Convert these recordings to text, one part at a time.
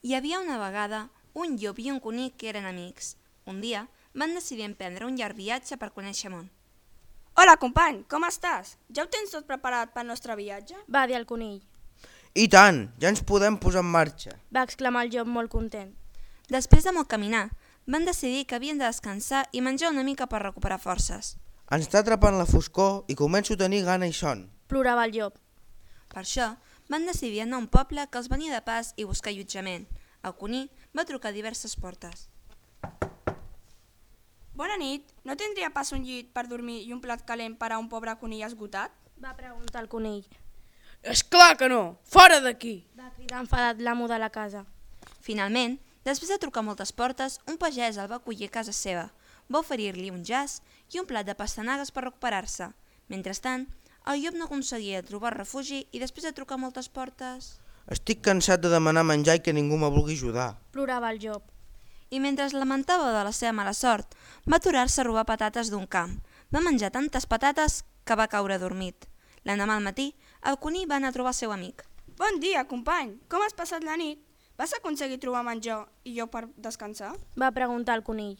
Hi havia una vegada un llop i un conill que eren amics. Un dia van decidir emprendre un llarg viatge per conèixer món. Hola, company, com estàs? Ja ho tens tot preparat pel nostre viatge? Va dir el conill. I tant, ja ens podem posar en marxa. Va exclamar el llop molt content. Després de molt caminar, van decidir que havien de descansar i menjar una mica per recuperar forces. Ens està atrapant la foscor i començo a tenir gana i son. Plorava el llop. Per això, van decidir anar a un poble que els venia de pas i buscar allotjament. El conill va trucar a diverses portes. Bona nit, no tindria pas un llit per dormir i un plat calent per a un pobre conill esgotat? Va preguntar el conill. És clar que no! Fora d'aquí! Va cridar enfadat l'amo de la casa. Finalment, després de trucar a moltes portes, un pagès el va acollir a casa seva. Va oferir-li un jaç i un plat de pastanagues per recuperar-se. Mentrestant, el llop no aconseguia trobar refugi i després de trucar a moltes portes... Estic cansat de demanar menjar i que ningú me vulgui ajudar. Plorava el llop. I mentre es lamentava de la seva mala sort, va aturar-se a robar patates d'un camp. Va menjar tantes patates que va caure adormit. L'endemà al matí, el conill va anar a trobar el seu amic. Bon dia, company, com has passat la nit? Vas aconseguir trobar menjar i lloc per descansar? Va preguntar el conill.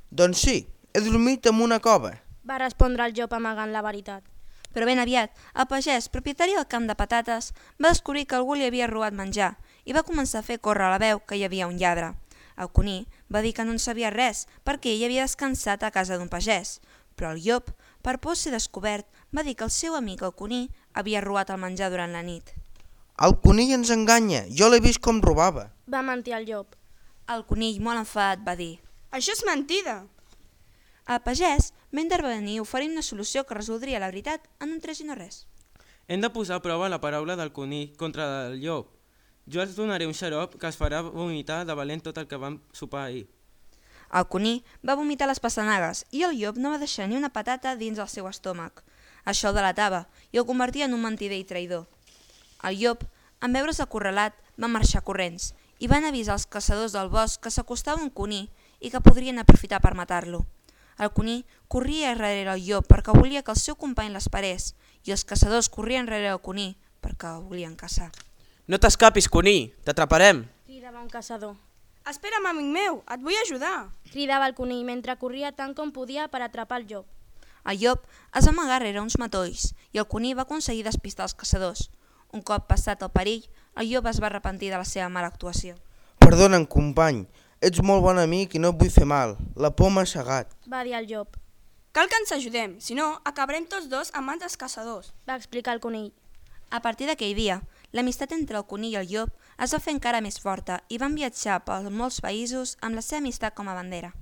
Doncs sí, he dormit en una cova. Va respondre el llop amagant la veritat. Però ben aviat, el pagès, propietari del camp de patates, va descobrir que algú li havia robat menjar i va començar a fer córrer la veu que hi havia un lladre. El conill va dir que no en sabia res perquè ell havia descansat a casa d'un pagès, però el llop, per por de ser descobert, va dir que el seu amic el conill havia robat el menjar durant la nit. El conill ens enganya, jo l'he vist com robava. Va mentir el llop. El conill, molt enfadat, va dir: Això és mentida! el pagès va intervenir oferint una solució que resoldria la veritat en un tres i no res. Hem de posar a prova la paraula del conill contra la del llop. Jo els donaré un xarop que es farà vomitar de valent tot el que vam sopar ahir. El conill va vomitar les pastanagues i el llop no va deixar ni una patata dins el seu estómac. Això el delatava i el convertia en un mentider i traïdor. El llop, en veure's acorralat, va marxar corrents i van avisar els caçadors del bosc que s'acostava un conill i que podrien aprofitar per matar-lo. El conill corria darrere el llop perquè volia que el seu company l'esperés i els caçadors corrien darrere el conill perquè el volien caçar. No t'escapis, conill, t'atraparem. Cridava un caçador. Espera'm, amic meu, et vull ajudar! Cridava el conill mentre corria tant com podia per atrapar el llop. El llop es va amagar rere uns matolls i el conill va aconseguir despistar els caçadors. Un cop passat el perill, el llop es va arrepentir de la seva mala actuació. Perdona'm, company, ets molt bon amic i no et vull fer mal. La por m'ha cegat. Va dir el llop. Cal que ens ajudem, si no, acabarem tots dos a mans dels caçadors. Va explicar el conill. A partir d'aquell dia, l'amistat entre el conill i el llop es va fer encara més forta i van viatjar per molts països amb la seva amistat com a bandera.